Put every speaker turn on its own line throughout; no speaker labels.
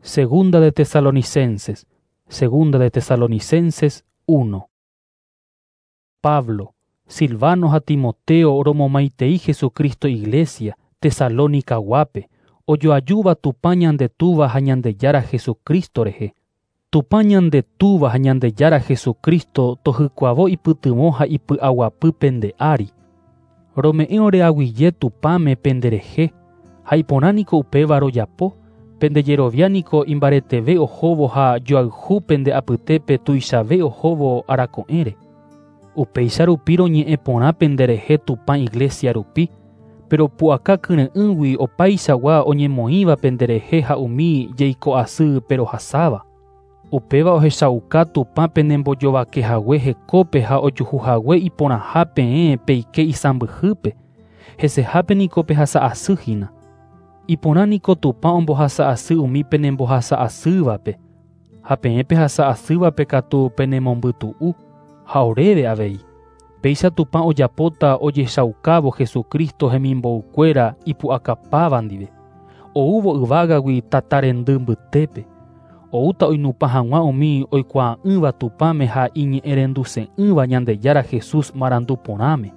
Segunda de Tesalonicenses, Segunda de Tesalonicenses 1. Pablo, Silvano ha Timoteo romomaitei Jesucristo iglesia, Tesalónica guápe, ojoajúva Tupã ñande Túva ha Ñandejára Jesucristo rehe. Tupã ñande Túva ha Ñandejára Jesucristo tohykuavo ipytyvõ ha ipy'aguapy pende ári. Rome'ẽ oreaguyje Tupãme penderehe, ha iporã niko upéva rojapo, pende jerovia niko imbareteve ohóvo ha joayhu pende apytépe tuichave ohóvo arako'ẽre. Upéicha rupi roñe'ẽ porã penderehe Tupã iglesia rupi, pero pu'aka kyre'ỹgui opaichagua oñemoĩva penderehe ha umi jeiko'asy perohasáva. Upéva ohechauka Tupã penembojovakehague hekópe ha ojuhuhague iporãha peẽ peike isãmbyhýpe, hesehápe niko pehasa'asy hína. Iporã niko Tupã ombohasa'asy umi penembohasa'asývape, ha peẽ pehasa'asývape katu penemombytu'u, ha oréve avei. Péicha Tupã ojapóta ojechaukávo Jesucristo hemimbo'ykuéra ipu'akapáva ndive, oúvo yvágagui tata rendy mbytépe, oúta oinupã hag̃ua umi oikuaa'ỹva Tupãme ha iñe'ẽrenduse'ỹva Ñandejára Jesús marandu porãme.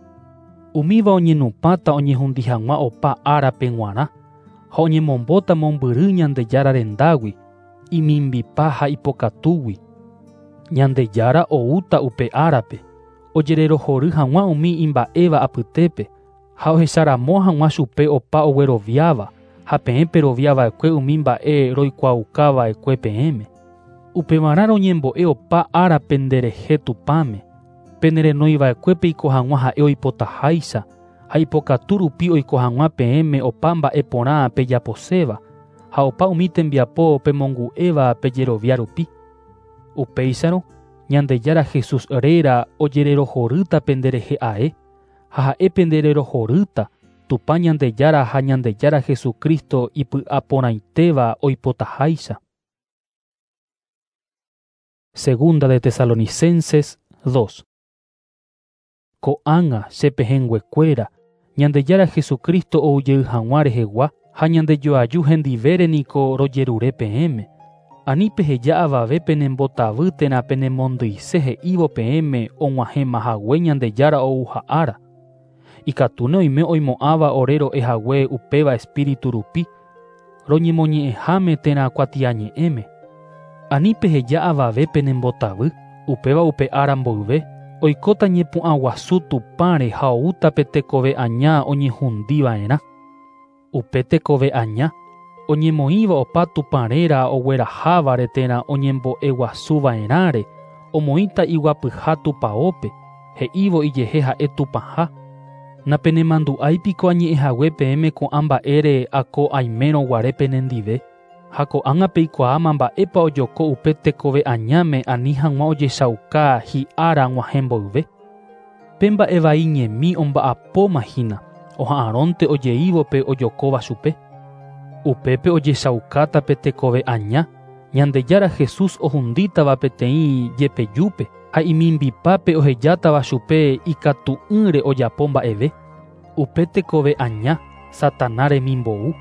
Umíva oñenupãta oñehundi hag̃ua opa árape g̃uarã, ha oñemombóta mombyry Ñandejára rendágui, imimbipa ha ipokatúgui. Ñandejára oúta upe árape, ojererohory hag̃ua umi imba'éva apytépe, ha ohecharamo hag̃ua chupe opa ogueroviáva, ha peẽ peroviava'ekue umi mba'e roikuaaukava'ekue peẽme. Upevarã roñembo'e opa ára penderehe Tupãme, penerenoiva'ekue peiko hag̃ua ha'e oipotaháicha, ha ipokatu rupi oiko hag̃ua peẽme opa mba'e porã pejaposéva, ha opa umi tembiapo pemongu'éva pejerovia rupi. Upéicharõ, Ñandejára Jesús réra ojererohorýta penderehe ae, ha ha'e pendererohorýta, Tupã Ñandejára ha Ñandejára Jesucristo ipy'aporãitéva oipotaháicha. Segunda de Tesalonicenses 2. Ko'ág̃a che pehẽnguekuéra, Ñandejára Jesucristo oujey hag̃ua rehegua ha ñandejoaju hendivére niko rojerure peẽme. Ani peheja avave penembotavy térã penemondyise he'ívo peẽme og̃uahẽmahague Ñandejára ouha ára. Ikatúne oime oimo'ãva ore ro'ehague upéva espíritu rupi, roñemoñe'ẽháme térã kuatiañe'ẽme. Ani peheja avave penembotavy, upéva upe ára mboyve, oikóta ñepu'ã guasu Tupãre ha oúta pe tekove aña oñehundiva'erã. Upe tekove aña, oñemoĩva opa Tupã réra oguerahávare térã oñembo'eguasuva'erãre, omoĩta iguapyha tupaópe, he'ívo ijehe ha'e Tupãha. Napenemandu'áipiko añe'ẽhague peẽme ko'ã mba'ére ako aimérõ guare penendive, ha ko'ág̃a peikuaáma mba'épa ojoko upe tekove añáme ani hag̃ua ojechauka hi'ára g̃uahẽ mboyve. Pe mba'e vai ñemi omba'apóma hína, oha'arõnte ojeívo pe ojokóva chupe. Upépe ojechaukáta pe tekove aña, Ñandejára Jesús ohundítava peteĩ jepejúpe, ha imimbipápe ohejátava chupe ikatu'ỹre ojapo mba'eve. Upe tekove aña, Satanás remimbou,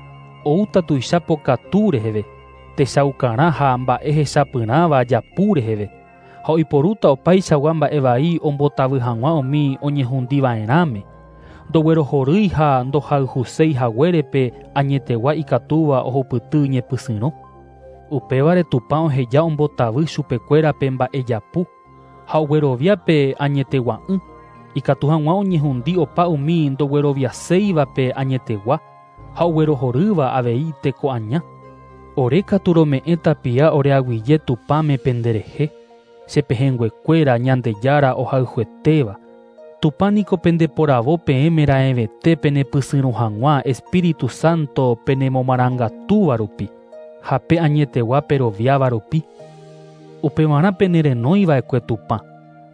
oúta tuicha pokatu reheve, techaukarã ha mba'e hechapyrãva japu reheve, ha oiporúta opaichagua mba'e vai ombotavy hag̃ua umi oñehundiva'erãme, ndoguerohorýi ha ndohayhuséi haguérepe añetegua ikatúva ohupyty ñepysyrõ. Upévare Tupã oheja ombotavy chupekuéra pe mba'e japu, ha oguerovia pe añetegua'ỹ, ikatu hag̃ua oñehundi opa umi ndogueroviaséiva pe añetegua, ha oguerohorýva avei teko aña. Ore katu rome'ẽ tapia oreaguyje Tupãme penderehe, che pehẽnguekuéra Ñandejára ohayhuetéva. Tupã niko pendeporavo peẽme raẽvete penepysyrõ hag̃ua Espíritu Santo penemomarangatúva rupi, ha pe añetegua peroviáva rupi. Upevarã penerenóiva'ekue Tupã,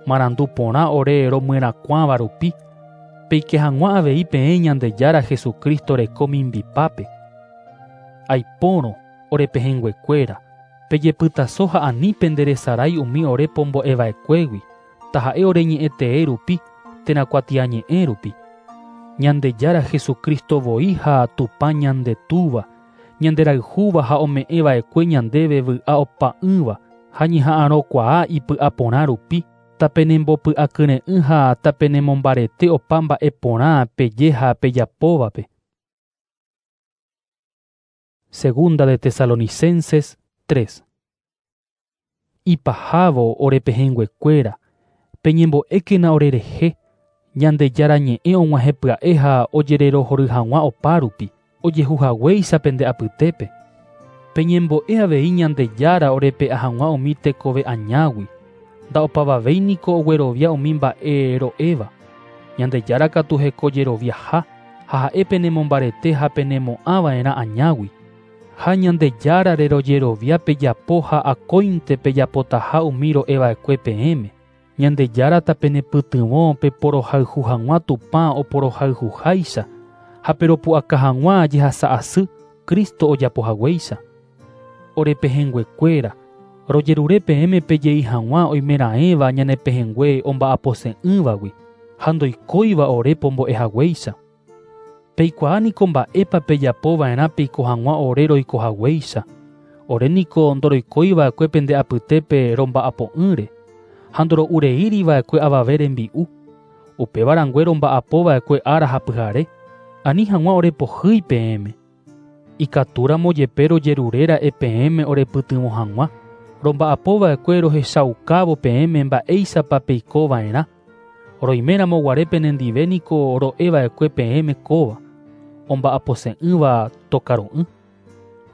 marandu porã ore romyerakuãva rupi, peike hag̃ua avei peẽ Ñandejára Jesucristo reko mimbipápe. Aipórõ ore pehẽnguekuéra, pejepytaso ha ani penderesarái umi ore pombo'eva'ekuégui, taha'e ore ñe'ẽtee rupi, térã kuatiañe'ẽ rupi. Ñandejára Jesucristo voi ha Tupã ñande Túva, Ñanderayhúva ha ome'ẽva'ekue ñandéve vy'a opa'ỹva ha ñeha'arõkuaa ipy'aporã rupi, tapenembopy'akyre'ỹ ha tapenemombarete opa mba'e porã peje ha pejapóvape. Segunda de Tesalonicenses 3. Ipahávo orepehẽnguekuéra, peñembo'ékena orerehe, Ñandejára ñe'ẽ og̃uahẽ pya'e ha ojererohory hag̃ua opárupi, ojehuhaguéicha pende apytépe. Peñembo'e avei Ñandejára orepe'a hag̃ua umi tekove añágui, nda'opavavéi niko oguerovia umi mba'e ro'éva. Ñandejára katu hekojeroviaha ha ha'e penemombarete ha penemo'ãva'erã añágui. Ha Ñandejára rerojerovia pejapo ha akóinte pejapotaha umi ro'eva'ekue peẽme. Ñandejára tapenepytyvõ peporohayhu hag̃ua Tupã oporohayhuháicha ha peropu'aka hag̃ua jehasa'asy Cristo ojapohaguéicha. Orepehẽnguekuéra, rojerure peẽme pejei hag̃ua oimeraẽva ñanepehẽngue omba'apose'ỹvagui ha ndoikóiva ore pombo'ehaguéicha. Peikuaa niko mba'épa pejapova'erã peiko hag̃ua ore roikohaguéicha. Ore niko ndoroikóiva'ekue pende apytépe romba'apo'ỹre ha ndoro'ureíriva'ekue avave rembi'u. Upéva rangue romba'apova'ekue ára ha pyhare, ani hag̃ua orepohýi peẽme. Ikatúramo jepe rojeruréra'e peẽme orepytyvõ hag̃ua, romba'apova'ekue rohechaukávo peẽme mba'éichapa peikova'erã. Roiméramo guare penendive niko ro'eva'ekue peẽme kóva, omba'apose'ỹva tokaru'ỹ.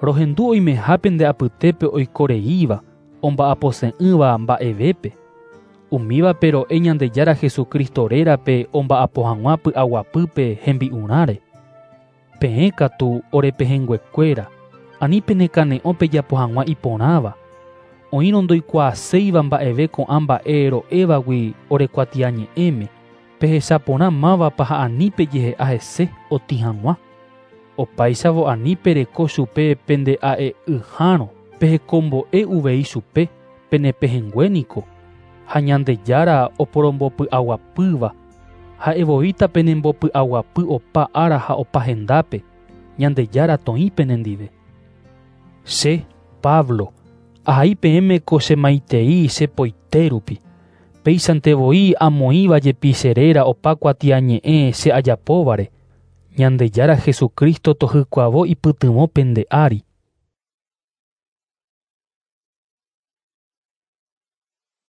Rohendu oimeha pende apytépe oikoreíva, omba'apose'ỹva mba'evépe. Umívape ro'e Ñandejára Jesucristo rérape omba'apo hag̃ua py'aguapýpe hembi'urãre. Peẽ katu orepehẽnguekuéra, ani penekane'õ pejapo hag̃ua iporãva. Oĩrõ ndoikuaaséiva mba'eve ko'ã mba'e ro'évagui orekuatiañe'ẽme, pehechaporã mávapa ha ani pejehe'a hese otĩ hag̃ua. Opáichavo ani pereko chupe pende'a'e'ỹhárõ, pehekombo'e uvei chupe, penepehẽngue niko. Ha Ñandejára oporombopy'aguapýva, ha'evoíta penembopy'aguapy opa ára ha opa hendápe, Ñandejára toĩ penendive. Che, Pablo, ahai peẽme ko chemaitei chepoite rupi. Péichante voi amoĩva jepi che réra opa kuatiañe'ẽ che ajapóvare. Ñandejára Jesucristo tohykuavo ipytyvõ pende ári.